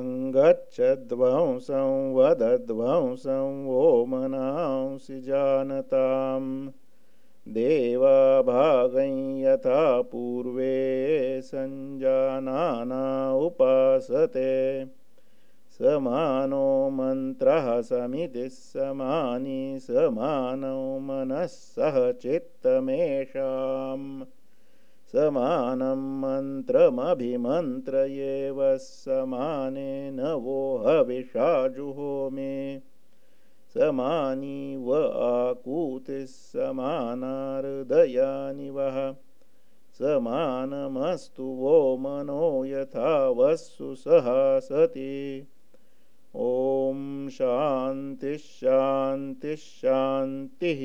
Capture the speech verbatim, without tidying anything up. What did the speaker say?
अङ्गच्छध्वंसं वदध्वंसं ओमनांसि जानताम् देवा भागं यथा पूर्वे सञ्जानाना उपासते समानो मन्त्रः समितिः समानी समानो मनः सह चित्तमेषाम् समानं मन्त्रमभिमन्त्रयेव समानेन वो हविषा जुहोमि समानी व आकूतिः समाना हृदयानि वः समानमस्तु वो मनो यथा वस्सु सहासति ॐ शान्तिः शान्तिः शान्तिः।